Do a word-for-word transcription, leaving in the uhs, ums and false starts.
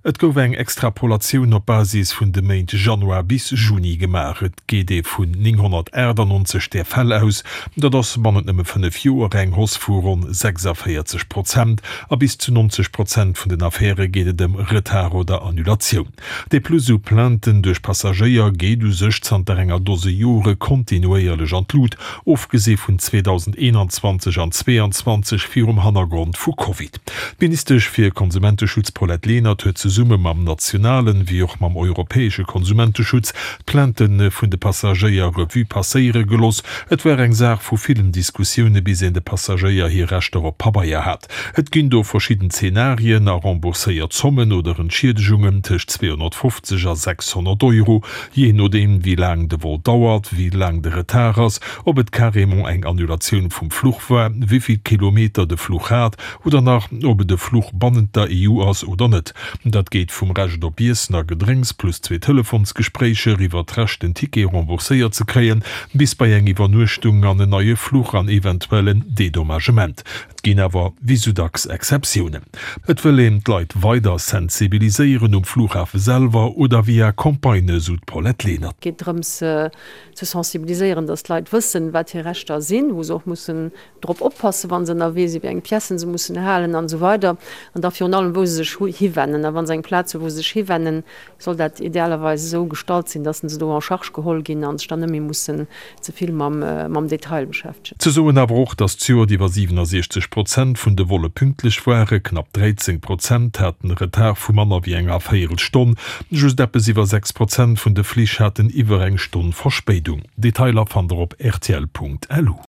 Et gouf eng Extrapolatioun op Basis vun de Méint Januar bis Juni gemaach. Et geet ee vun nénghonnertaachtanonzeg där Fäll aus, dat ass bannent nëmme fënnef Joer eng Hausse vu ronn sechsavéierzeg Prozent. A bis zu nonzeg Prozent vun den Affäre geet et ëm Retard oder Annulatioun. De Plus u Plainten duerch Passagéier geet u sech zanter enger Dose Jore kontinuéierlech an d'Lut, ofgesi vun zweedausendeenanzwanzeg an zweeanzwanzeg virum Hannergrond vu Covid. D'Ministesch fir Konsumenteschutz Paulette Lenert huet zesumme mam nationalen, wéi och mam europäesche Konsumenteschutz d'Plainte vun de Passagéier Revue passéiere gelooss. Et war eng Saach vu villen Diskussioune bis een de Passagéier hir Rechter op Pabeier hat. Et ginn do verschidden Zenarien a rembourséiert Zommen oder Entschiedegungen tëscht zweehonnertfofzeg a sechshonnert Euro, jee nodeem wéi laang de Vol dauert, wéi laang de Retard ass, ob et carrément eng Annulatioun vum Fluch war, wéi vill Kilometer de Fluch hat oder nach ob et e Fluch bannent der E U ass oder net. Dat geet vum Recht op Iessen a Gedrénks plus zwee Telefonsgespréicher iwwer d'Recht den Ticket rembourséiert ze kréien, bis bei eng Iwwernuechtung an en neie Fluch an eventuell en Dedommagement. Et ginn awer wéi sou dacks Exceptiounen. Et wëll een d'Leit weider sensibiliséieren, um Flughafe selwer oder via Campagnë, sou d'Paulette Lenert. Et geet drëms ze sensibiliséieren, datt d'Leit wëssen, wat hir Rechter sinn, wou se och mussen drop oppassen, wa se ënnerwee sinn, wéi eng Piècen se mussen halen an esou weider. An da virun allem, wou se sech hiwennen. A wa se eng Plaz hu wou se sech hiwennen, soll dat idealerweis esou gestalt sinn, datt se do en charge geholl ginn a sech dann net méi mussen ze vill mam Detail beschäftegen. Ze soen awer och, datt zejoert iwwer siwenasiechzeg Prozent vun de Volle pünktlech waren, knapp dräizéng Prozent haten e Retard vu manner wéi enger Véierelstonn, just eppes iwwer sechs Prozent vun de Flich haten iwwer eng Stonn Verspéidung. Detailer fannt der op rtl Punkt lu.